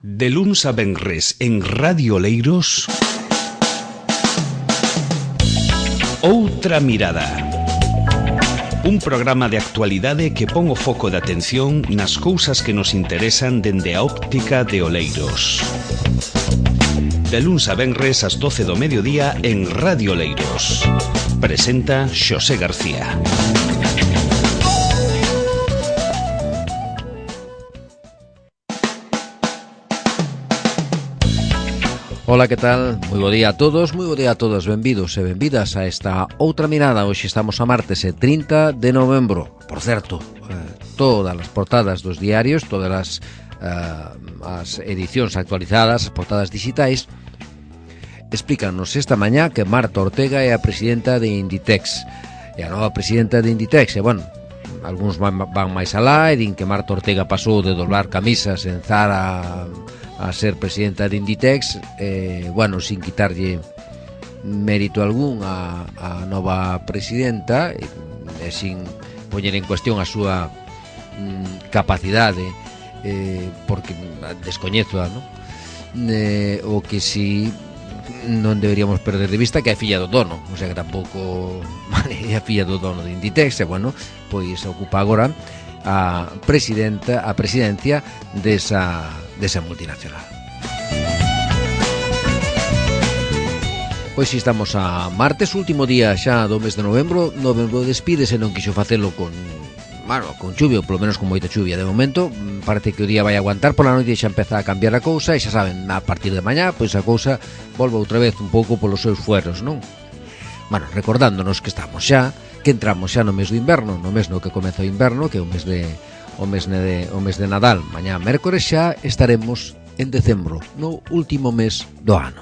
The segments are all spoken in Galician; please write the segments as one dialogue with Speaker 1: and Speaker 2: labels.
Speaker 1: De luns a venres en Radio Oleiros, Outra Mirada. Un programa de actualidade que pon o foco de atención nas cousas que nos interesan dende a óptica de Oleiros. De luns a venres ás 12 do mediodía en Radio Oleiros. Presenta Xosé García.
Speaker 2: Ola, que tal? Moi bo día a todos, benvidos e benvidas a esta Outra Mirada. Hoxe estamos a martes, 30 de novembro. Por certo, todas as portadas dos diarios, todas as edicións actualizadas, as portadas digitais, explícanos esta mañá que Marta Ortega é a presidenta de Inditex. E a nova presidenta de Inditex, e bueno, algúns van máis alá e din que Marta Ortega pasou de doblar camisas en Zara a ser presidenta de Inditex, bueno, sin quitarlle mérito algún a nova presidenta, e sin poñer en cuestión a súa capacidade, porque descoñezo, non? O que si non deberíamos perder de vista que é filla do dono, o sea que tampouco é filla do dono de Inditex, e bueno, pois ocupa agora a presidencia desa multinacional. Pois si estamos a martes, último día xa do mes de novembro. Novembro despídese, non quixo facelo con chuvia, ou polo menos con moita chuvia de momento. Parece que o día vai aguantar, pola noite xa empeza a cambiar a cousa, e xa saben, a partir de mañá pois a cousa volve outra vez un pouco polos seus fueros, non? Bueno, recordándonos que estamos xa, que entramos xa no mes do inverno, no mes no que comeza o inverno, que é o mes de Nadal. Mañá mércores xa estaremos en decembro, no último mes do ano.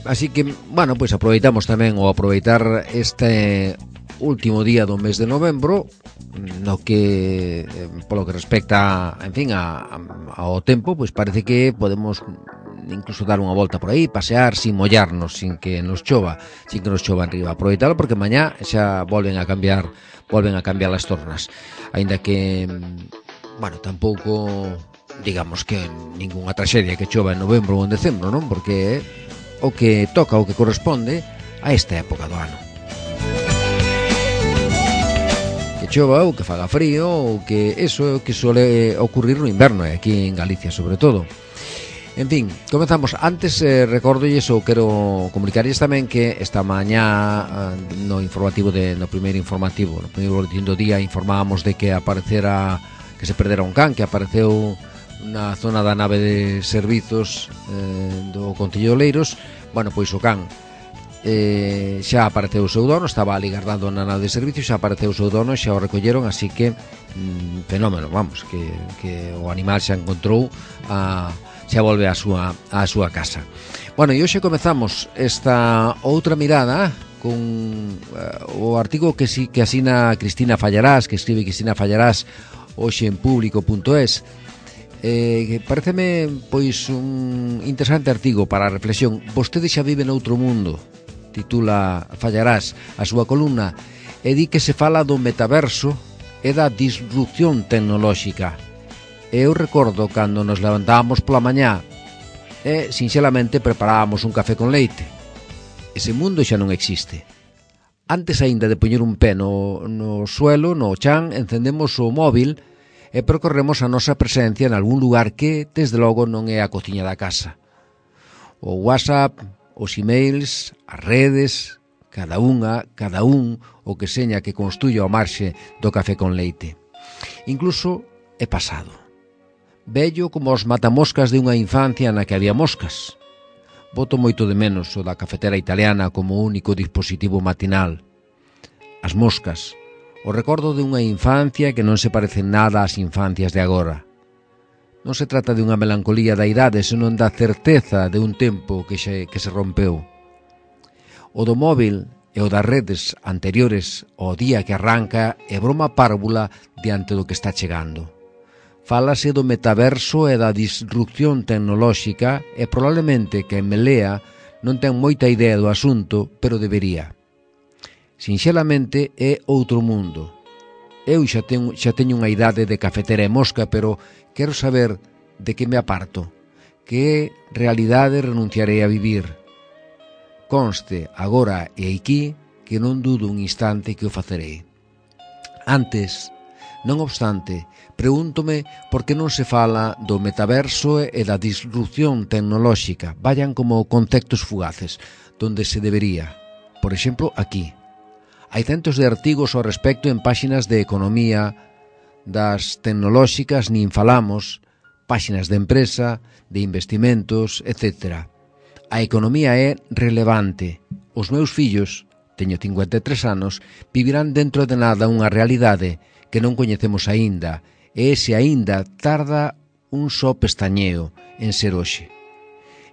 Speaker 2: Así que, bueno, pois aproveitamos tamén o aproveitar este último día do mes de novembro, no que polo que respecta, en fin, ao tempo, pois parece que podemos incluso dar unha volta por aí, pasear sin mollarnos, sin que nos chova arriba. Aproveitalo porque mañá xa volven a cambiar as tornas. Aínda que, bueno, tampouco digamos que ningunha traxedia que chova en novembro ou en decembro, non? Porque é o que toca, o que corresponde a esta época do ano. Que chova ou que faga frío, ou que eso é o que suele ocurrir no inverno, e aquí en Galicia sobre todo. En fin, comenzamos. Antes recordolles ou quero comunicarles tamén que esta mañá no primeiro boletín do día informábamos de que que se perdera un can que apareceu na zona da nave de servizos do Concello de Oleiros. Bueno, pois o can xa apareceu o seu dono, estaba ali guardando na nave de servicios, xa apareceu o seu dono, xa o recolleron, así que fenómeno, vamos, que o animal xa encontrou xa volve á súa casa. Bueno, e hoxe comezamos esta outra mirada con o artigo que asina Cristina Fallarás, que escribe Cristina Fallarás hoxe en público.es. Pareceme pois un interesante artigo para a reflexión. Vostede xa vive noutro mundo, titula Fallarás a súa columna, e di que se fala do metaverso e da disrupción tecnolóxica. Eu recordo cando nos levantábamos pola mañá e sinxelamente preparábamos un café con leite. Ese mundo xa non existe. Antes aínda de poñer un pé no suelo, no chan, encendemos o móvil e percorremos a nosa presencia en algún lugar que, desde logo, non é a cociña da casa. O WhatsApp, os emails, as redes, cada un, o que seña que construya ao marxe do café con leite. Incluso é pasado. Vello como os matamoscas de unha infancia na que había moscas. Boto moito de menos o da cafetera italiana como único dispositivo matinal. As moscas, o recordo de unha infancia que non se parece nada ás infancias de agora. Non se trata de unha melancolía da idade, senón da certeza de un tempo que se rompeu. O do móvil e o das redes anteriores ao día que arranca é broma párvula diante do que está chegando. Fálase do metaverso e da disrupción tecnolóxica, e probablemente quen me lea non ten moita idea do asunto, pero debería. Sinxelamente é outro mundo. Eu xa teño unha idade de cafetera e mosca, pero quero saber de que me aparto, que realidade renunciarei a vivir. Conste, agora e aquí, que non dudo un instante que o facerei. Antes, non obstante, pregúntome por que non se fala do metaverso e da disrupción tecnolóxica, vayan como conceptos fugaces, donde se debería. Por exemplo, aquí. Hai centos de artigos ao respecto en páxinas de economía, das tecnolóxicas nin falamos, páxinas de empresa, de investimentos, etc. A economía é relevante. Os meus fillos, teño 53 anos, vivirán dentro de nada unha realidade que non coñecemos aínda, e ese aínda tarda un só pestañeo en ser hoxe.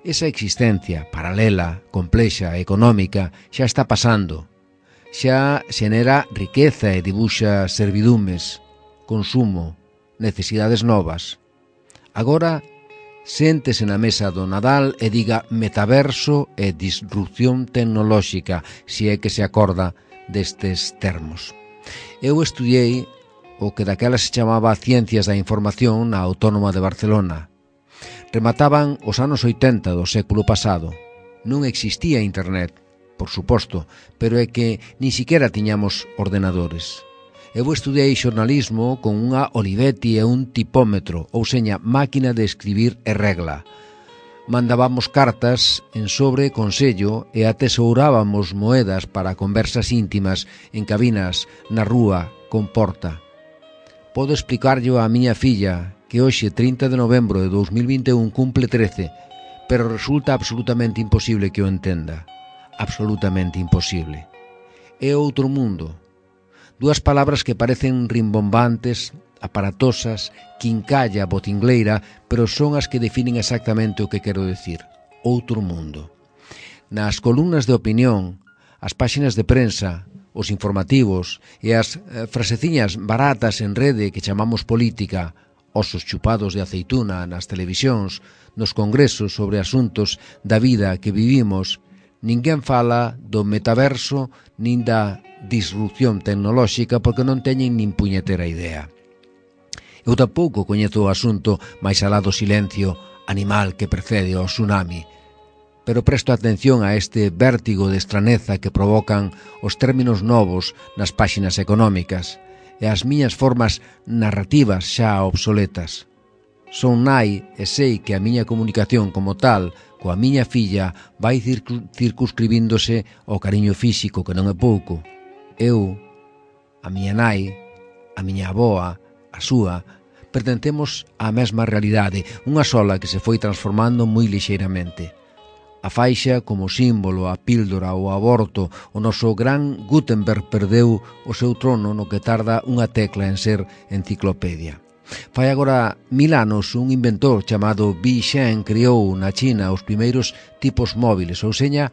Speaker 2: Esa existencia paralela, complexa, económica, xa está pasando. Xa xenera riqueza e dibuxa servidumes, consumo, necesidades novas. Agora, séntese na mesa do Nadal e diga metaverso e disrupción tecnolóxica, se é que se acorda destes termos. Eu estudiei o que daquela se chamaba Ciencias da Información na Autónoma de Barcelona. Remataban os anos 80 do século pasado. Non existía internet, por suposto, pero é que nin siquiera tiñamos ordenadores. Eu estudei xornalismo con unha Olivetti e un tipómetro, ou seña, máquina de escribir e regla. Mandábamos cartas en sobre con sello e atesourábamos moedas para conversas íntimas en cabinas, na rúa, con porta. Podo explicarllo á miña filla, que hoxe, 30 de novembro de 2021, cumple 13, pero resulta absolutamente imposible que o entenda. Absolutamente imposible. É outro mundo. Dúas palabras que parecen rimbombantes, aparatosas, quincalla, botingleira, pero son as que definen exactamente o que quero decir. Outro mundo. Nas columnas de opinión, as páxinas de prensa, os informativos e as fraseciñas baratas en rede que chamamos política, osos chupados de aceituna nas televisións, nos congresos sobre asuntos da vida que vivimos, ninguén fala do metaverso nin da disrupción tecnolóxica porque non teñen nin puñetera idea. Eu tampouco coñezo o asunto máis alá do silencio animal que precede ao tsunami, pero presto atención a este vértigo de estraneza que provocan os términos novos nas páxinas económicas e as miñas formas narrativas xa obsoletas. Son nai e sei que a miña comunicación como tal coa miña filla vai circunscribíndose ao cariño físico, que non é pouco. Eu, a miña nai, a miña avoa, a súa, pertencemos á mesma realidade, unha sola que se foi transformando moi lixeiramente. A faixa como símbolo, a píldora, o aborto, o noso gran Gutenberg perdeu o seu trono no que tarda unha tecla en ser enciclopedia. Fai agora 1000 anos un inventor chamado Bi Shen criou na China os primeiros tipos móviles, ou seña,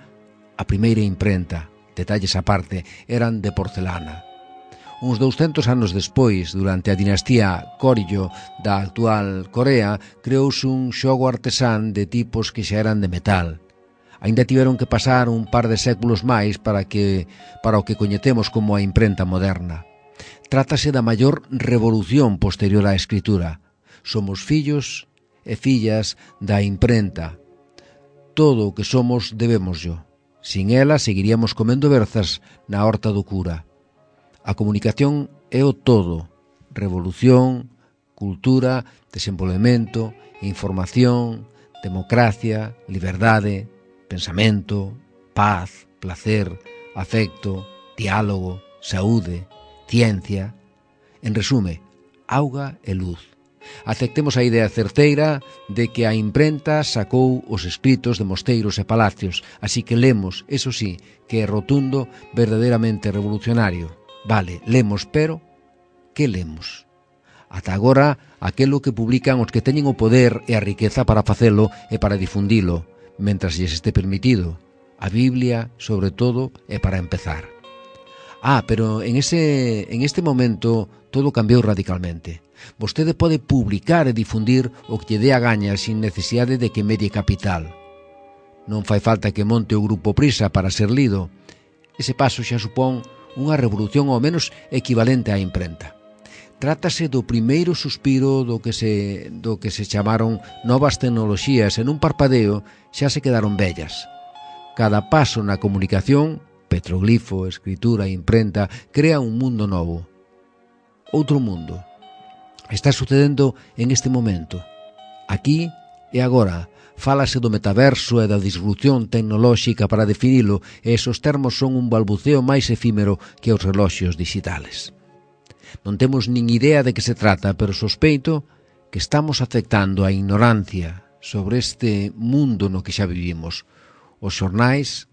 Speaker 2: a primeira imprenta, detalles aparte, eran de porcelana. Uns 200 anos despois, durante a dinastía Goryeo da actual Corea, creouse un xogo artesán de tipos que xa eran de metal. Aínda tiveron que pasar un par de séculos máis para o que coñecemos como a imprenta moderna. Trátase da maior revolución posterior á escritura. Somos fillos e fillas da imprenta. Todo o que somos debémoslo. Sin ela seguiríamos comendo berzas na horta do cura. A comunicación é o todo. Revolución, cultura, desenvolvemento, información, democracia, liberdade, pensamento, paz, placer, afecto, diálogo, saúde, ciencia. En resume, auga e luz. Aceptemos a idea certeira de que a imprenta sacou os escritos de mosteiros e palacios, así que lemos, eso sí, que é rotundo, verdadeiramente revolucionario. Vale, lemos, pero que lemos? Ata agora, aquelo que publican os que teñen o poder e a riqueza para facelo e para difundilo, mentras lles este permitido. A Biblia, sobre todo, é para empezar. Pero en este momento todo cambiou radicalmente. Vostede pode publicar e difundir o que lle dé a gaña sin necesidade de que medie capital. Non fai falta que monte o grupo Prisa para ser lido. Ese paso xa supón unha revolución ao menos equivalente á imprenta. Trátase do primeiro suspiro do que se chamaron novas tecnoloxías e nun parpadeo xa se quedaron vellas. Cada paso na comunicación, petroglifo, escritura, imprenta, crea un mundo novo. Outro mundo. Está sucedendo en este momento. Aquí e agora. Fálase do metaverso e da disrupción tecnolóxica para definilo, e esos termos son un balbuceo máis efímero que os reloxos digitales. Non temos nin idea de que se trata, pero sospeito que estamos afectando a ignorancia sobre este mundo no que xa vivimos. Os xornais,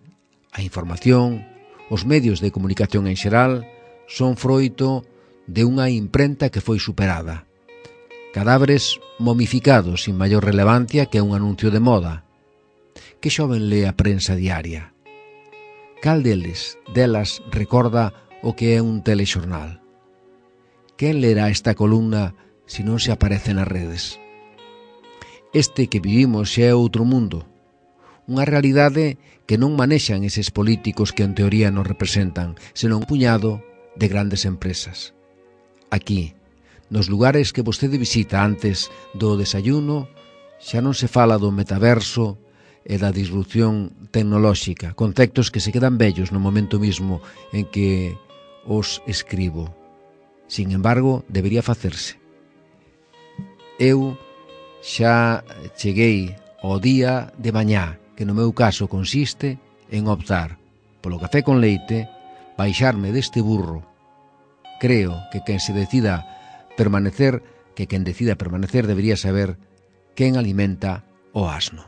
Speaker 2: a información, os medios de comunicación en xeral son froito de unha imprenta que foi superada. Cadáveres momificados sin maior relevancia que un anuncio de moda. Que xoven lee a prensa diaria? Cal delas recorda o que é un telexornal? Quen lerá esta columna se non se aparece nas redes? Este que vivimos xa é outro mundo. Unha realidade que non manexan eses políticos que en teoría nos representan, senón un puñado de grandes empresas. Aquí, nos lugares que vostede visita antes do desayuno, xa non se fala do metaverso e da disrupción tecnolóxica, conceptos que se quedan vellos no momento mismo en que os escribo. Sin embargo, debería facerse. Eu xa cheguei ao día de mañá, que no meu caso consiste en optar polo café con leite, baixarme deste burro. Creo que quen decida permanecer debería saber quen alimenta o asno.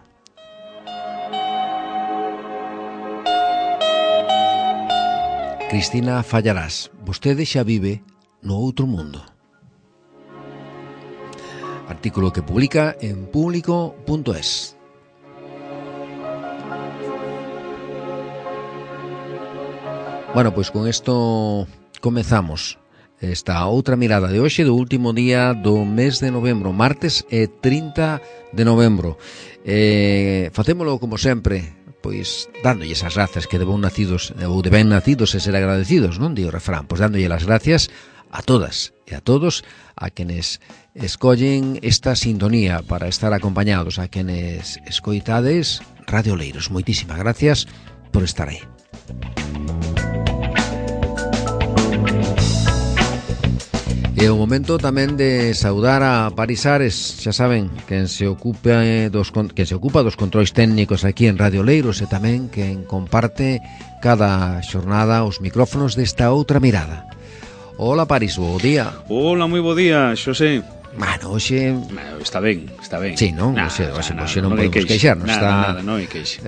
Speaker 2: Cristina Fallarás, vostede xa vive no outro mundo. Artículo que publica en público.es. Bueno, pois con isto comezamos esta outra mirada de hoxe, do último día do mes de novembro, martes 30 de novembro. Facémolo como sempre, pois dándolles as grazas que de ben nacidos e ser agradecidos, non? Di o refrán, pois dándolle as gracias a todas e a todos a quenes escollen esta sintonía para estar acompañados, a quenes escoitades Radio Oleiros. Moitísimas gracias por estar aí. É o momento tamén de saudar a Paris Ares, xa saben, quen se ocupa dos controis técnicos aquí en Radio Oleiros e tamén quen comparte cada xornada os micrófonos desta outra mirada. Hola Paris, bo día.
Speaker 3: Hola, moi bo día, Xosé.
Speaker 2: Bueno, hoxe...
Speaker 3: Está ben, está ben.
Speaker 2: Sí, non? Hoxe non podemos queixarnos.
Speaker 3: Nada, non hai queixa.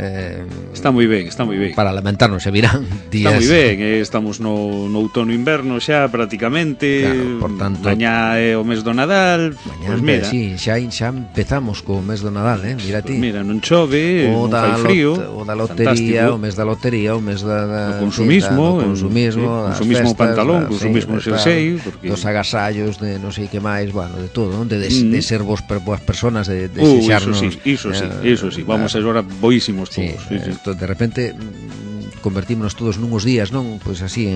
Speaker 3: Está moi ben, está moi ben.
Speaker 2: Para lamentarnos, se virán días...
Speaker 3: Está moi ben, estamos no outono-inverno xa prácticamente.
Speaker 2: Claro, por tanto...
Speaker 3: Mañá é o mes do Nadal.
Speaker 2: Mañá,
Speaker 3: pues mira,
Speaker 2: sí, xa empezamos co mes do Nadal, mira ti.
Speaker 3: Pues mira, non chove, non fai frío.
Speaker 2: O da lotería, o mes da lotería, o mes da...
Speaker 3: O consumismo.
Speaker 2: O consumismo,
Speaker 3: sí, consumismo pantalón, consumismo xersei.
Speaker 2: Dos agasallos de non sei que máis, bueno, de todo, de ser boas persoas, de xexarnos.
Speaker 3: Iso sí, vamos agora boísimos todos.
Speaker 2: Sí. De repente convertímonos todos nuns días, non? Pois así,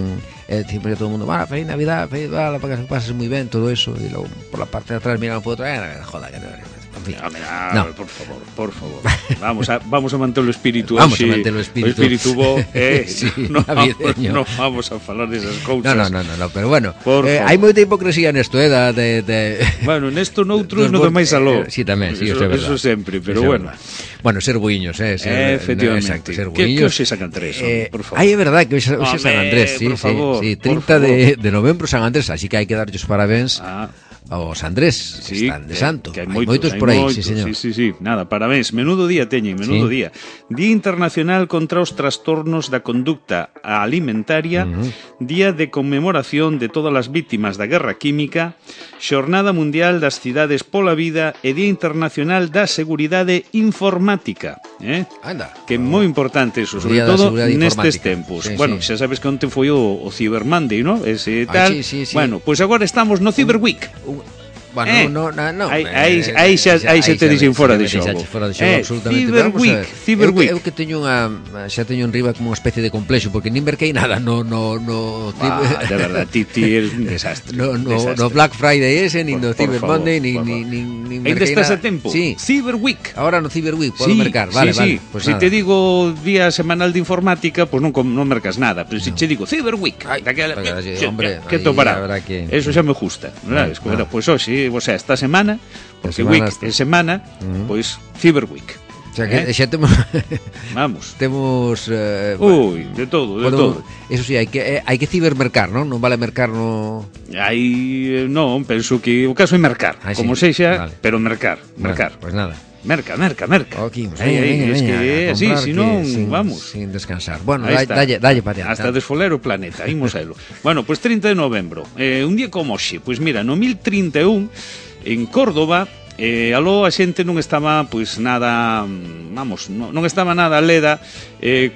Speaker 2: sempre todo o mundo, feliz Navidad, para que pases moi ben, todo eso, e logo por la parte de atrás miramos por outra, joda, que en fin.
Speaker 3: No. Por favor. Vamos a manter o espírito.
Speaker 2: Vamos a manter o espírito.
Speaker 3: O espírito bo,
Speaker 2: sí,
Speaker 3: no vamos a falar desas cousas.
Speaker 2: No, pero bueno, hai moita hipocresía nesto,
Speaker 3: Bueno, nesto noutros no do máis aló.
Speaker 2: Sí, tamén, sí,
Speaker 3: eso sempre, pero bueno.
Speaker 2: Bueno, ser buiños,
Speaker 3: efectivamente.
Speaker 2: Exacto, ser
Speaker 3: buiños. Que hoxe San Andrés, por favor.
Speaker 2: É verdade que hoxe San Andrés, sí,
Speaker 3: por favor,
Speaker 2: sí, 30 de novembro San Andrés, así que hai que darlles parabéns aos Andrés, que están de santo.
Speaker 3: Que hai
Speaker 2: moitos por aí, sí, señor.
Speaker 3: Sí, nada, parabéns, menudo día teñen, día. Día Internacional contra os trastornos da conducta alimentaria, Día de conmemoración de todas as vítimas da guerra química, Xornada Mundial das Cidades pola Vida e Día Internacional da Seguridade Informática.
Speaker 2: Anda.
Speaker 3: Que é moi importante eso, sobre todo nestes tempos. Bueno, xa sabes que onte foi o Cyber Monday, ¿no? Ese tal.
Speaker 2: Sí.
Speaker 3: Bueno, pois agora estamos no Cyber Week.
Speaker 2: Bueno,
Speaker 3: aí se te dixen fora de xogo.
Speaker 2: Cyberweek.
Speaker 3: Cyberweek.
Speaker 2: Eu que teño xa teño en riba como unha especie de complexo, porque nin merquei nada no
Speaker 3: de verdad, ti eres un desastre.
Speaker 2: No Black Friday ese, nin no Cyber Monday, nin
Speaker 3: ainda estás a
Speaker 2: merquei
Speaker 3: tempo.
Speaker 2: Sí.
Speaker 3: Cyberweek.
Speaker 2: Ahora no Cyberweek podo mercar, vale.
Speaker 3: Pues si te digo día semanal de informática, pues non mercas nada, pero si che digo Cyberweek,
Speaker 2: hombre,
Speaker 3: que topará. Eso xa me gusta, verdad? Pues hoxe, o sea, esta semana, porque week é semana, pois Cyberweek.
Speaker 2: O sea que xa temos
Speaker 3: vamos.
Speaker 2: Temos
Speaker 3: de todo.
Speaker 2: Eso sí, hai que cibermercar, non? Non vale mercar no
Speaker 3: non, penso que o caso é mercar, como sexa, vale. Pero mercar.
Speaker 2: Pues nada.
Speaker 3: Merca.
Speaker 2: Okay,
Speaker 3: es que así, si non, vamos.
Speaker 2: Sin descansar. Bueno, dalle para allá.
Speaker 3: Hasta desfoler o planeta, imos a elo. Bueno, pues 30 de novembro, un día como hoxe, pues mira, no 1031, en Córdoba, aló a xente non estaba, pois nada, non estaba nada leda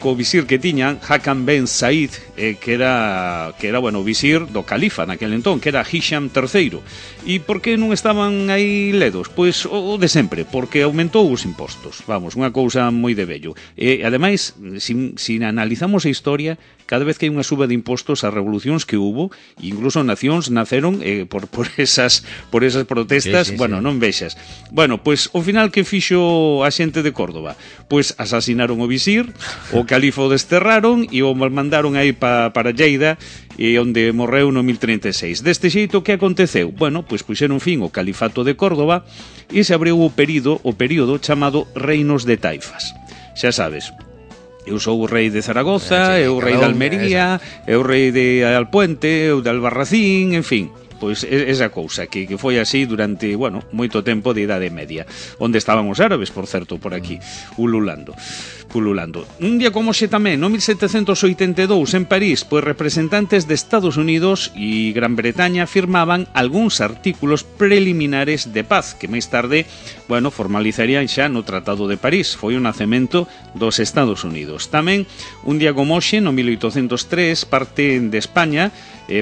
Speaker 3: co visir que tiñan Hakam Ben Said, que era bueno, o visir do califa naquel entón, que era Hisham III. E por que non estaban aí ledos? Pois o de sempre, porque aumentou os impostos. Vamos, unha cousa moi de vello. E ademais, se analizamos a historia, cada vez que hai unha suba de impostos, as revolucións que hubo, incluso nacións naceron por esas protestas, sí. Bueno, non vexas. Bueno, pois ao final que fixo a xente de Córdoba? Pois asasinaron o visir, o califa o desterraron e o mandaron aí para Lleida, onde morreu no 1036. Deste xeito, que aconteceu? Bueno, pois puxeron fin ao califato de Córdoba e se abriu o período chamado Reinos de Taifas. Xa sabes, eu sou o rei de Zaragoza, eu o rei de Almería, eu o rei de Alpuente, eu de Albarracín, en fin. Pois esa cousa que foi así durante, bueno, moito tempo de Idade Media, onde estaban os árabes, por certo, por aquí, pululando. Un día como xe tamén, no 1782, en París, pois representantes de Estados Unidos e Gran Bretaña firmaban algúns artículos preliminares de paz, que máis tarde, bueno, formalizarían xa no Tratado de París. Foi o nacemento dos Estados Unidos. Tamén, un día como xe, no 1803, parte de España,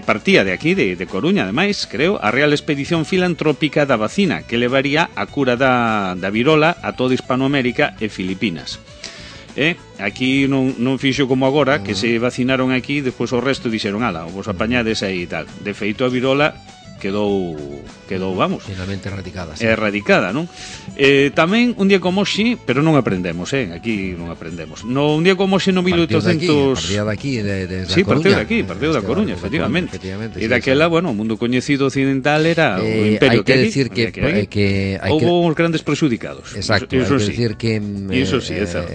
Speaker 3: partía de aquí, de Coruña, ademais, creo, a Real Expedición Filantrópica da Vacina, que levaría a cura da virola a toda Hispanoamérica e Filipinas. Aquí non fixo como agora, que se vacinaron aquí, despois o resto dixeron, ala, vos apañades aí e tal. De feito, a virola quedou, vamos,
Speaker 2: finalmente erradicada, sí.
Speaker 3: Erradicada, non? Tamén un día como hoxe, pero non aprendemos, aquí non aprendemos. Un día como hoxe no 1800...
Speaker 2: Partía daqui, de
Speaker 3: sí, partido da Coruña, efectivamente. E daquela, bueno, o mundo coñecido occidental era o imperio
Speaker 2: que decir que
Speaker 3: houve uns grandes perxudicados.
Speaker 2: Exacto, hai que decir que
Speaker 3: iso sí, é certo.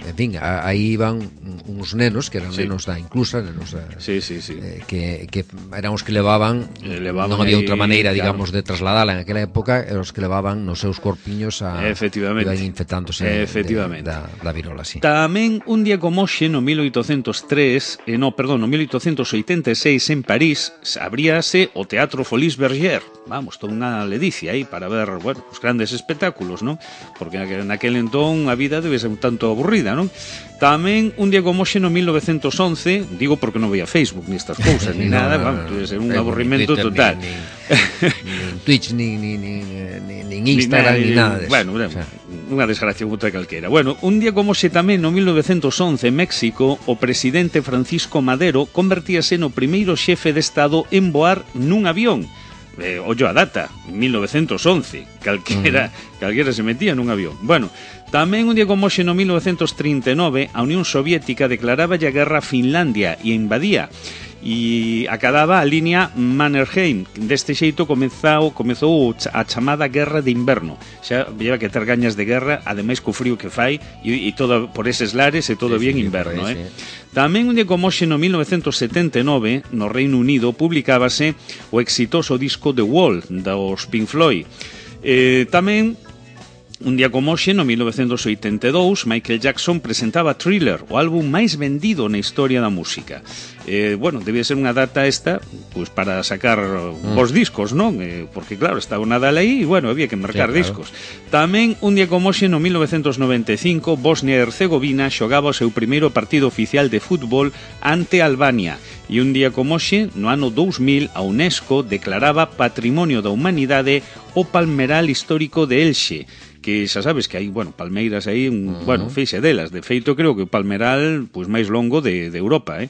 Speaker 2: En fin, aí iban uns nenos que eran nenos da inclusa, nenos
Speaker 3: sí.
Speaker 2: Que eran os que levaban non había outra maneira, digamos, de trasladala en aquela época, os que levaban nos seus corpiños iban infectándose da virola, sí.
Speaker 3: Tamén un día como hoxe, no 1886 en París, abríase o Teatro Folies Bergère. Vamos, toda unha ledicia aí para ver, bueno, os grandes espectáculos, non? Porque naquel entón a vida debe ser un tanto aburrida, non? Tamén un día como hoxe no 1911, digo porque non veía Facebook ni estas cousas, ni nada, vamos, debe ser un aburrimento total.
Speaker 2: Nin Twitch, nin Instagram, ni nada de eso.
Speaker 3: Bueno, unha desgracia outra calquera. Bueno, un día como hoxe tamén no 1911 en México, o presidente Francisco Madero convertíase no primeiro xefe de Estado en voar nun avión. Ollo a data, 1911, calquera se metía nun avión. Bueno, tamén un día como hoxe no 1939 a Unión Soviética declaraba a guerra a Finlandia e invadía e acababa a liña Mannerheim. Deste xeito comezou a chamada Guerra de Inverno. Xa lleva que ter gañas de guerra, ademais co frío que fai e todo por eses lares e todo bien inverno, sí. Tamén un día como hoxe no 1979 no Reino Unido publicábase o exitoso disco The Wall dos Pink Floyd. Tamén Un día como hoxe, no 1982, Michael Jackson presentaba Thriller, o álbum máis vendido na historia da música. Bueno, debía ser unha data esta, pues para sacar os discos, non? Porque claro, estaba o Nadal aí e, bueno, había que marcar discos. Tamén, un día como hoxe, no 1995, Bosnia e Herzegovina xogaba o seu primeiro partido oficial de fútbol ante Albania. E un día como hoxe, no ano 2000, a UNESCO declaraba Patrimonio da Humanidade o Palmeral Histórico de Elxe, que xa sabes que hai, bueno, palmeiras aí, bueno, feixe delas. De feito, creo que o palmeral pois máis longo de Europa,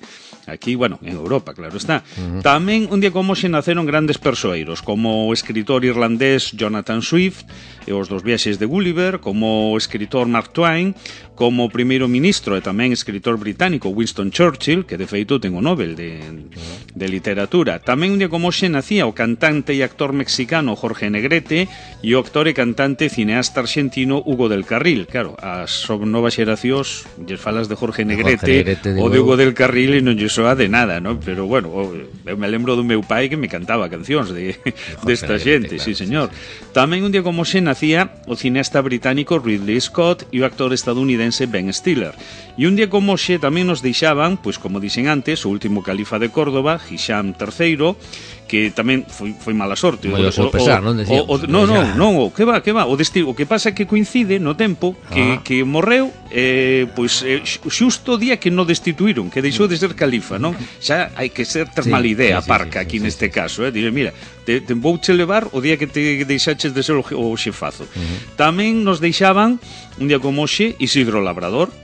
Speaker 3: Aquí, bueno, en Europa, claro está. Tamén, un día como hoxe, naceron grandes persoeiros, como o escritor irlandés Jonathan Swift, e os dos viaxes de Gulliver, como o escritor Mark Twain, como o primeiro ministro e tamén escritor británico Winston Churchill, que de feito ten o Nobel de literatura. Tamén un día como hoxe nacía o cantante e actor mexicano Jorge Negrete e o actor e cantante cineasta argentino Hugo del Carril. Claro, as novas xeracións lles falas de Jorge Negrete ou de Hugo del Carril e non lle soa de nada, non? Pero bueno, eu me lembro do meu pai que me cantaba cancións desta xente, sí señor. Tamén un día como hoxe nacía o cineasta británico Ridley Scott e o actor estadounidense Ben Stiller. E un día como hoxe tamén nos deixaban, pois como dixen antes, o último califa de Córdoba, Hisham III, que tamén foi mala sorte.
Speaker 2: Moi o seu pesar, non decíamos?
Speaker 3: Non, que va. O que pasa é que coincide no tempo que morreu pois xusto o día que non destituíron, que deixou de ser califa, non? Xa hai que ter mala idea, parca, aquí neste caso, Dire, mira, te vouche levar o día que te deixaches de ser o xefazo. Tamén nos deixaban, un día como hoxe, Isidro Labrador,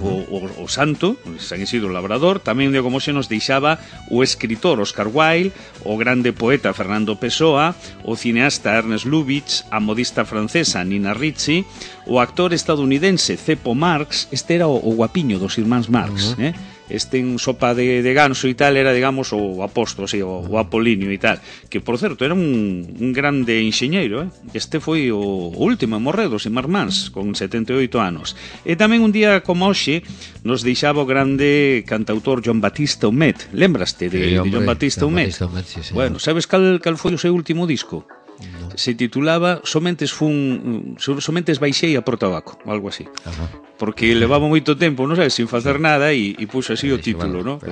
Speaker 3: o santo, San Isidro Labrador. Tamén un día como hoxe nos deixaba o escritor Oscar Wilde, o grande poeta Fernando Pessoa, o cineasta Ernest Lubitsch, a modista francesa Nina Ricci, o actor estadounidense Ceppo Marx. Este era o guapiño dos irmáns Marx, Este en sopa de ganso e tal era, digamos, o apóstolo, o Apolinio e tal, que por certo era un grande enxeñeiro, Este foi o último en morrer dos irmáns con 78 anos. E tamén un día como hoxe nos deixaba o grande cantautor Joan Batista Humet. Lembraste de Joan Batista Humet? Bueno, sabes cal foi o seu último disco? Se titulaba Somentes baixei a por tabaco, algo así. Porque levaba moito tempo, non sabes, sin facer nada e puxo así o título, non?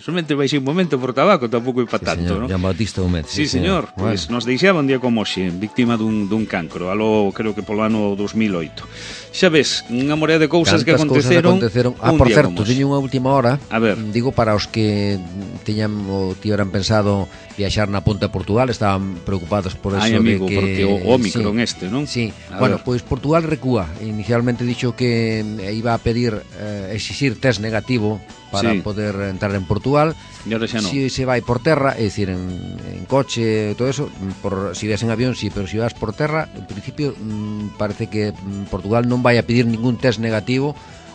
Speaker 3: Somente baixei un momento por tabaco, tampouco é para tanto, non?
Speaker 2: Jean Batista Humet.
Speaker 3: Sí, señor. Pois nos deixaba un día como hoxe, víctima dun cancro, algo creo que polo ano 2008. Xa ves, unha morea de cousas que aconteceron.
Speaker 2: Por certo, teño unha última hora.
Speaker 3: A ver.
Speaker 2: Digo para os que tiñan ou tiveran pensado viaxar na Ponte de Portugal, estaban preocupados por eso.
Speaker 3: Ai, amigo,
Speaker 2: de que
Speaker 3: porque o Ómicron non?
Speaker 2: Sí. Bueno, pois Portugal recúa. Inicialmente dixo que iba a pedir exixir test negativo para poder entrar en Portugal.
Speaker 3: E ahora xa non.
Speaker 2: Si se vai por terra, é dicir, en coche, todo eso, si vas en avión, sí, pero si vas por terra, en principio parece que Portugal non vai a pedir ningún test negativo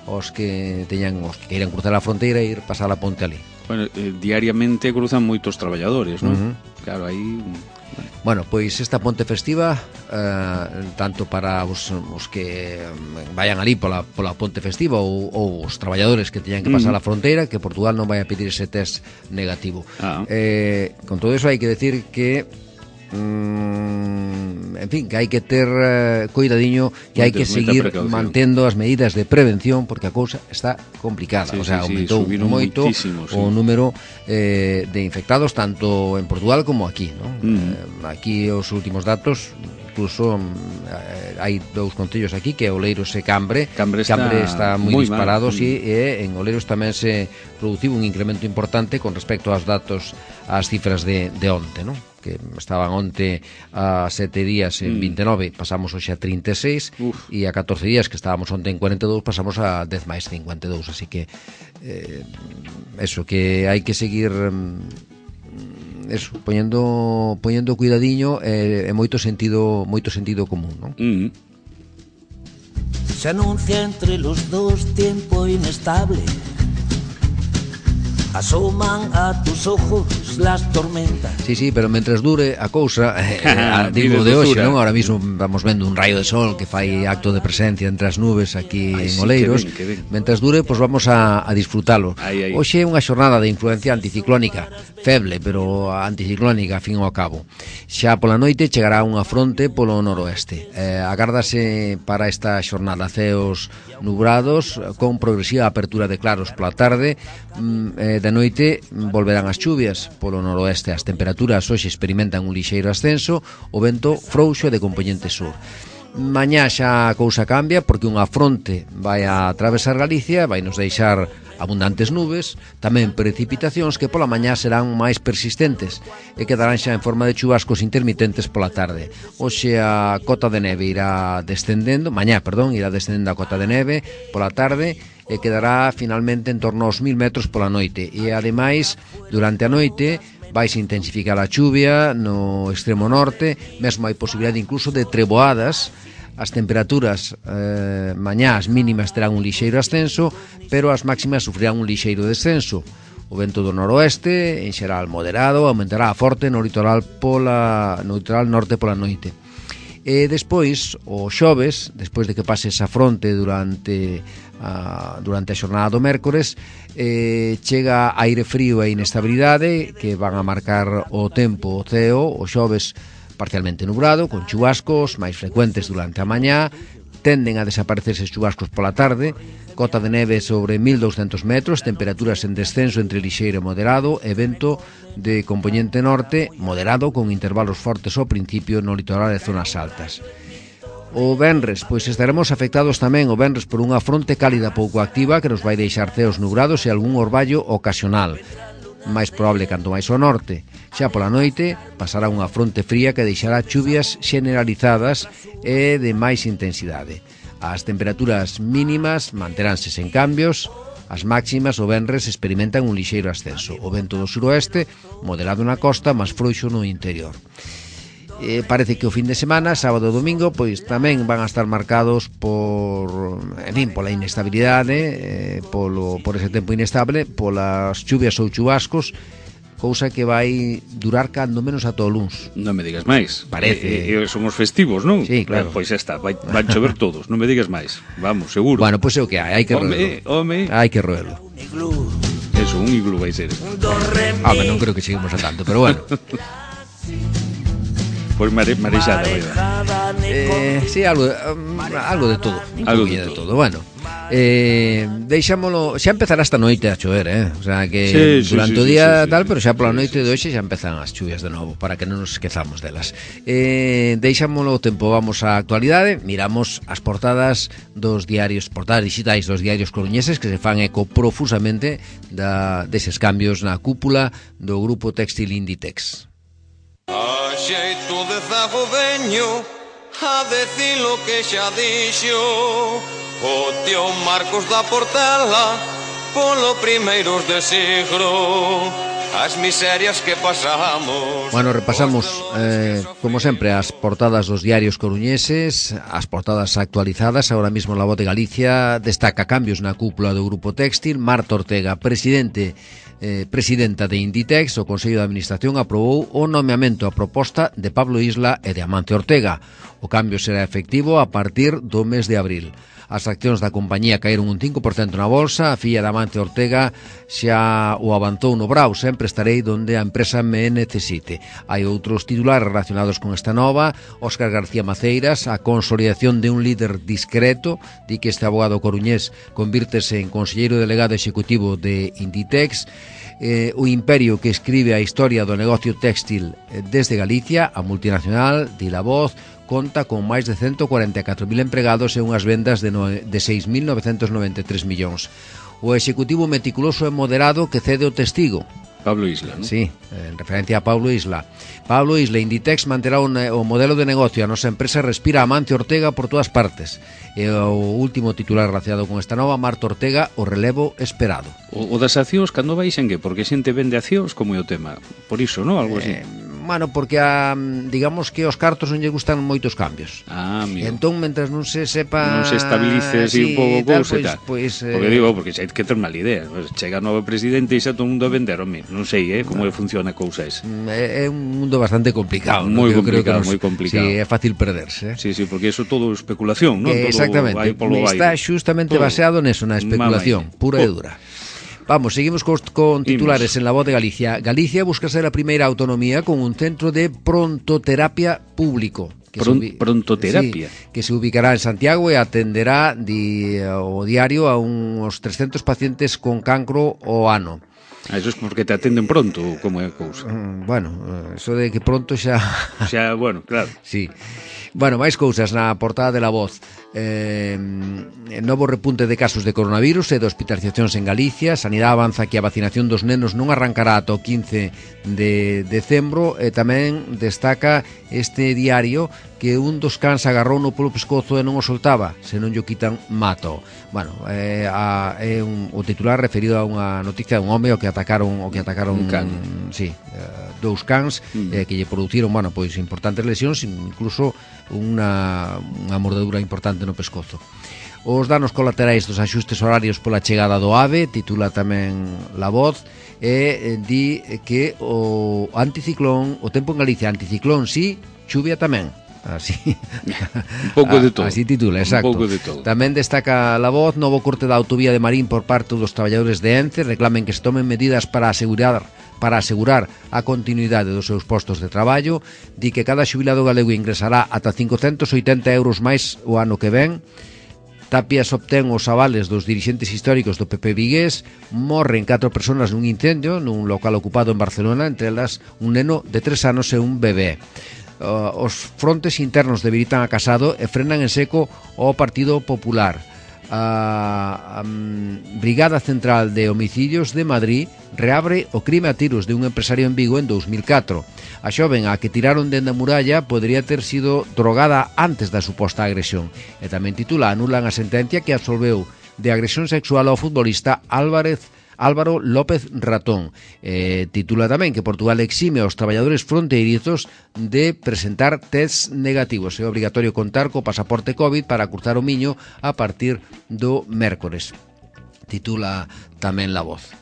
Speaker 2: os que queiran cruzar a fronteira e ir pasar a ponte ali.
Speaker 3: Bueno, diariamente cruzan moitos traballadores, non? Claro, aí...
Speaker 2: Bueno, pois esta ponte festiva, tanto para os que vayan ali pola ponte festiva ou os traballadores que teñan que pasar a fronteira, que Portugal non vai a pedir ese test negativo. Con todo eso hai que decir que en fin, que hai que ter cuidadiño, que hai que seguir mantendo as medidas de prevención, porque a cousa está complicada. Aumentou moito o número de infectados tanto en Portugal como aquí, ¿no? Aquí os últimos datos, incluso hai dous concellos aquí, que é Oleiros e Cambre. Cambre está moi disparado, e en Oleiros tamén se produciu un incremento importante con respecto aos datos, ás cifras de onte, ¿no? Que estaban onte a 7 días en 29, pasamos hoxe a 36, e a 14 días que estábamos onte en 42, pasamos a 10 máis 52, así que eso, que hai que seguir eso, poñendo cuidadiño e moito sentido común, ¿no?
Speaker 4: Se anuncia entre los dos tiempo inestable. asoman a tus ojos las tormentas.
Speaker 2: Sí, pero mentres dure a cousa, digo de hoxe, non? Ahora mismo vamos vendo un raio de sol que fai acto de presencia entre as nubes aquí en Oleiros.
Speaker 3: Que ben.
Speaker 2: Mentres dure, pois vamos a disfrutalo. Hoxe é unha xornada de influencia anticiclónica, feble, pero anticiclónica, a fin ao cabo. Xa pola noite chegará unha fronte polo noroeste. Agárdase para esta xornada ceos nubrados, con progresiva apertura de claros pola tarde. De noite volverán as chuvias polo noroeste. As temperaturas hoxe experimentan un lixeiro ascenso, o vento frouxo de compoñente sur. Mañá xa a cousa cambia porque unha fronte vai a atravesar Galicia, vai nos deixar abundantes nubes, tamén precipitacións que pola mañá serán máis persistentes e quedarán xa en forma de chubascos intermitentes pola tarde. Hoxe a cota de neve irá descendendo, irá descendendo a cota de neve pola tarde e quedará finalmente en torno aos 1000 metros pola noite. E ademais, durante a noite vais intensificar a chuvia no extremo norte, mesmo hai posibilidade incluso de treboadas. As temperaturas mañá as mínimas terán un lixeiro ascenso, pero as máximas sufrirán un lixeiro descenso. O vento do noroeste, en xeral moderado, aumentará a forte no litoral norte pola noite. E despois, o xoves, despois de que pase esa fronte durante a xornada do mércores, chega aire frío e inestabilidade que van a marcar o tempo, o ceo. O xoves parcialmente nublado, con chubascos máis frecuentes durante a mañá, tenden a desaparecer eses chubascos pola tarde, cota de neve sobre 1200 metros, temperaturas en descenso entre lixeiro e moderado, e vento de compoñente norte moderado con intervalos fortes ao principio no litoral e zonas altas. O venres, pois estaremos afectados tamén o venres por unha fronte cálida pouco activa que nos vai deixar ceos nubrados e algún orballo ocasional, máis probable canto máis ao norte. Xa pola noite pasará unha fronte fría que deixará chuvias generalizadas e de máis intensidade. As temperaturas mínimas manteránse sen cambios, as máximas o venres experimentan un lixeiro ascenso. O vento do suroeste, moderado na costa, máis frouxo no interior. Parece que o fin de semana, sábado e domingo, pois tamén van a estar marcados pola inestabilidade, por ese tempo inestable, polas chuvias ou chubascos, cousa que vai durar cando menos ata o luns.
Speaker 3: Non me digas máis.
Speaker 2: Parece.
Speaker 3: Son os festivos, non?
Speaker 2: Sí, claro.
Speaker 3: Pois está, van chover todos, non me digas máis. Vamos, seguro.
Speaker 2: Bueno, pois é o que hai que roelo. Hai que roelo.
Speaker 3: Eso, un iglú vai ser.
Speaker 2: Non creo que cheguemos a tanto, pero bueno.
Speaker 3: Pois marexada,
Speaker 2: sí, algo de todo. Algo de todo. Bueno, deixámolo. Xa empezará esta noite a chover, o sea que durante o día tal, pero xa pola noite de hoxe xa empezan as chuvias de novo, para que non nos esquezamos delas. Deixámolo o tempo, vamos á actualidade. Miramos as portadas digitais dos diarios coruñeses que se fan eco profusamente deses cambios na cúpula do grupo textil Inditex.
Speaker 5: A xeito de zago veño a decir lo que xa dixo o tío Marcos da Portela polo primeiros de siglo as miserias que pasamos.
Speaker 2: Bueno, repasamos como sempre as portadas dos diarios coruñeses, as portadas actualizadas. Ahora mismo La Voz de Galicia destaca cambios na cúpula do grupo textil. Marta Ortega, presidenta de Inditex, o Consello de Administración aprobou o nomeamento a proposta de Pablo Isla e de Amancio Ortega. O cambio será efectivo a partir do mes de abril. As accións da compañía caeron un 5% na bolsa. A filla de Amancio Ortega xa o avanzou no brao: sempre estarei donde a empresa me necesite. Hai outros titulares relacionados con esta nova. Óscar García Maceiras, a consolidación de un líder discreto. Di que este abogado coruñés convírtese en conselleiro delegado executivo de Inditex. O imperio que escribe a historia do negocio textil desde Galicia. A multinacional, di La Voz, conta con máis de 144.000 empregados e unhas vendas de 6.993 millóns. O executivo meticuloso e moderado que cede o testigo.
Speaker 3: Pablo Isla, non?
Speaker 2: Sí, en referencia a Pablo Isla. Pablo Isla, Inditex manterá o modelo de negocio. A nosa empresa respira a Amancio Ortega por todas partes. E o último titular relacionado con esta nova, Marta Ortega, o relevo esperado.
Speaker 3: O das accións, cando baixen que? Porque xente vende accións, como é o tema? Por iso, non? Algo así.
Speaker 2: Bueno, porque digamos que os cartos non lle gustan moitos cambios.
Speaker 3: Amigo.
Speaker 2: Entón, mentres non se sepa...
Speaker 3: Non se estabilice así un pouco cousa e tal.
Speaker 2: Pois,
Speaker 3: porque digo, porque xa hai que ter mala idea. Chega novo presidente e xa todo o mundo a vender, non sei, como funciona a cousa esa.
Speaker 2: É un mundo bastante complicado.
Speaker 3: Moi complicado, moi complicado.
Speaker 2: Sí, é fácil perderse.
Speaker 3: Sí, porque eso todo é especulación, non?
Speaker 2: Exactamente, está xustamente baseado neso, na especulación, pura e dura. Vamos, seguimos con titulares en La Voz de Galicia. Galicia busca ser a primeira autonomía con un centro de prontoterapia público.
Speaker 3: Prontoterapia?
Speaker 2: Sí, que se ubicará en Santiago e atenderá o diario a uns 300 pacientes con cancro ao ano.
Speaker 3: Eso es porque te atenden pronto, como é a cousa?
Speaker 2: Bueno, eso de que pronto xa...
Speaker 3: Xa, bueno, claro.
Speaker 2: Sí. Bueno, máis cousas na portada de La Voz. Novo repunte de casos de coronavirus e de hospitalizacións en Galicia. Sanidade avanza que a vacinación dos nenos non arrancará ata o 15 de decembro e tamén destaca este diario que un dos cans agarrouno polo pescozo e non o soltaba, se non llo quitan mato. Bueno, o titular referido a unha noticia dun home o que atacaron
Speaker 3: un can.
Speaker 2: Sí, dous cans que lle produciron, bueno, pois importantes lesións, incluso unha mordedura importante no pescozo. Os danos colaterais dos axustes horarios pola chegada do AVE, titula tamén La Voz, e di que o anticiclón, o tempo en Galicia, anticiclón sí, chuvia tamén. Así.
Speaker 3: Un pouco de todo.
Speaker 2: Así titula, exacto.
Speaker 3: Un pouco de todo.
Speaker 2: Tamén destaca La Voz, novo corte da autovía de Marín por parte dos traballadores de ENCE, reclamen que se tomen medidas para asegurar a continuidade dos seus postos de traballo. Di que cada xubilado galego ingresará ata 580 euros máis o ano que ven. Tapias obtén os avales dos dirixentes históricos do PP vigués. Morren 4 persoas nun incendio nun local ocupado en Barcelona, entre elas un neno de 3 anos e un bebé. Os frontes internos debilitan a Casado e frenan en seco o Partido Popular. A Brigada Central de Homicidios de Madrid reabre o crime a tiros de un empresario en Vigo en 2004. A xoven a que tiraron dende a muralla podría ter sido drogada antes da suposta agresión. E tamén titula: anulan a sentencia que absolveu de agresión sexual ao futbolista Álvaro López Ratón. Titula tamén que Portugal exime aos traballadores fronteirizos de presentar tests negativos. É obrigatorio contar co pasaporte COVID para cruzar o Miño a partir do mércores. Titula tamén La Voz.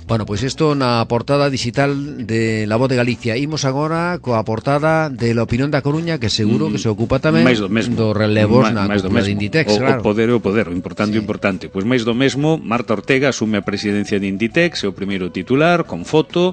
Speaker 2: Bueno, pois isto na portada digital de La Voz de Galicia. Imos agora coa portada de La Opinión da Coruña, que seguro que se ocupa tamén do relevos na cúpula de Inditex, claro.
Speaker 3: O poder, o importante. Pois máis do mesmo, Marta Ortega asume a presidencia de Inditex, é o primeiro titular, con foto.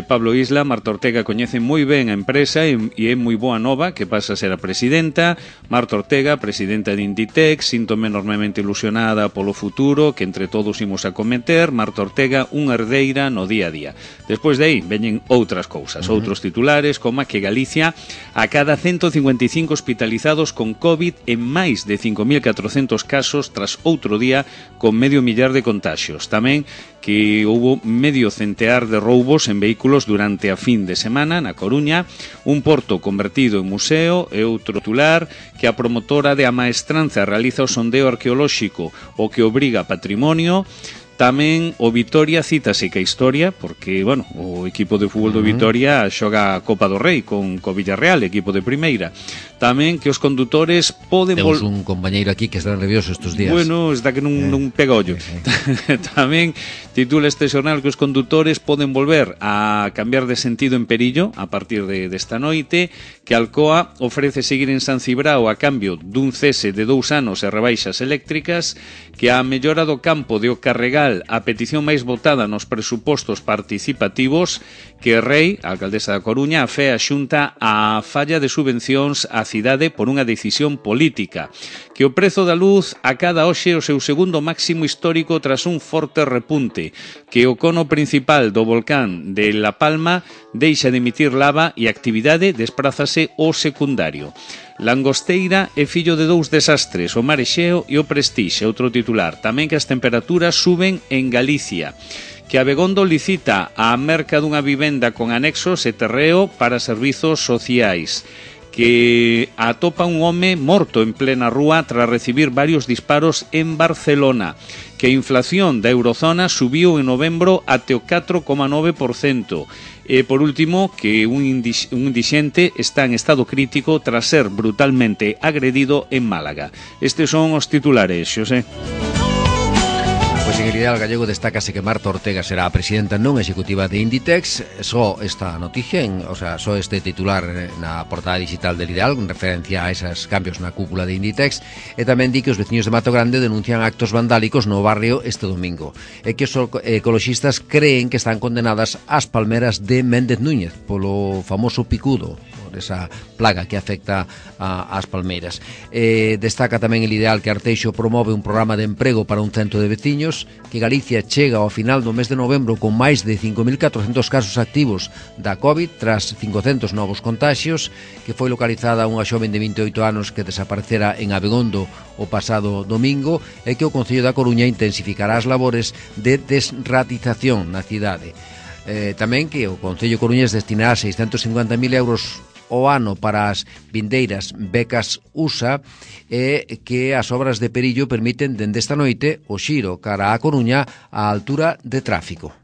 Speaker 3: Pablo Isla, Marta Ortega coñece moi ben a empresa e é moi boa nova que pasa a ser a presidenta. Marta Ortega, presidenta de Inditex, síntome enormemente ilusionada polo futuro que entre todos imos a cometer. Marta Ortega, unha herdeira no día a día. Despois de aí veñen outras cousas, outros titulares, como que Galicia acada 155 hospitalizados con COVID e máis de 5.400 casos tras outro día con medio millar de contaxios. Tamén que houbo medio centear de roubos en vehículos durante a fin de semana na Coruña, un porto convertido en museo e outro titular que a promotora de Amaestranza realiza o sondeo arqueolóxico o que obriga patrimonio. Tamén o Vitoria cítase que a historia, porque, bueno, o equipo de fútbol do Vitoria xoga a Copa do Rei con Villarreal, equipo de primeira. Tamén que os condutores poden...
Speaker 2: Temos un compañeiro aquí que está nervioso estes días.
Speaker 3: Bueno, está que non pega ollo. Tamén titula este xornal que os condutores poden volver a cambiar de sentido en Perillo a partir desta noite, que Alcoa ofrece seguir en San Cibrao a cambio dun cese de 2 anos e rebaixas eléctricas, que a mellora do campo de O Carregal, a petición máis votada nos presupostos participativos, que Rei, a alcaldesa da Coruña, afea a Xunta a falla de subvencións á cidade por unha decisión política, que o prezo da luz acada hoxe o seu segundo máximo histórico tras un forte repunte, que o cono principal do volcán de La Palma deixa de emitir lava e a actividade desprázase ao secundario. Langosteira é fillo de 2 desastres, o Mar Exeo e o Prestige, outro titular. Tamén que as temperaturas suben en Galicia, que Abegondo licita a merca dunha vivenda con anexos e terreo para servizos sociais, que atopa un home morto en plena rúa tras recibir varios disparos en Barcelona, que a inflación da eurozona subiu en novembro até o 4,9%. E, por último, que un indixente está en estado crítico tras ser brutalmente agredido en Málaga. Estes son os titulares, Xosé.
Speaker 2: Pois en el Ideal Gallego destácase que Marta Ortega será a presidenta non executiva de Inditex. Só esta noticia, só este titular na portada digital del Ideal, con referencia a esos cambios na cúpula de Inditex, e tamén di que os veciños de Mato Grande denuncian actos vandálicos no barrio este domingo, e que os ecoloxistas creen que están condenadas as palmeras de Méndez Núñez polo famoso picudo, esa plaga que afecta ás palmeiras. Destaca tamén el Ideal que Arteixo promove un programa de emprego para un cento de veciños, que Galicia chega ao final do mes de novembro con máis de 5.400 casos activos da COVID tras 500 novos contaxios, que foi localizada unha xoven de 28 anos que desaparecera en Abegondo o pasado domingo, e que o Concello da Coruña intensificará as labores de desratización na cidade. Tamén que o Concello coruñés destinará 650.000 euros o ano para as vindeiras becas USA, e que as obras de Perillo permiten dende esta noite o xiro cara a Coruña á altura de tráfico.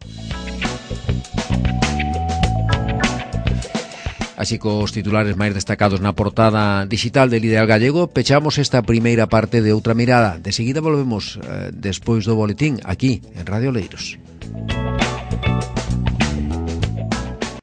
Speaker 2: Así cos titulares máis destacados na portada digital del Ideal Gallego, pechamos esta primeira parte de Outra Mirada. De seguida volvemos despois do boletín aquí en Radio Oleiros.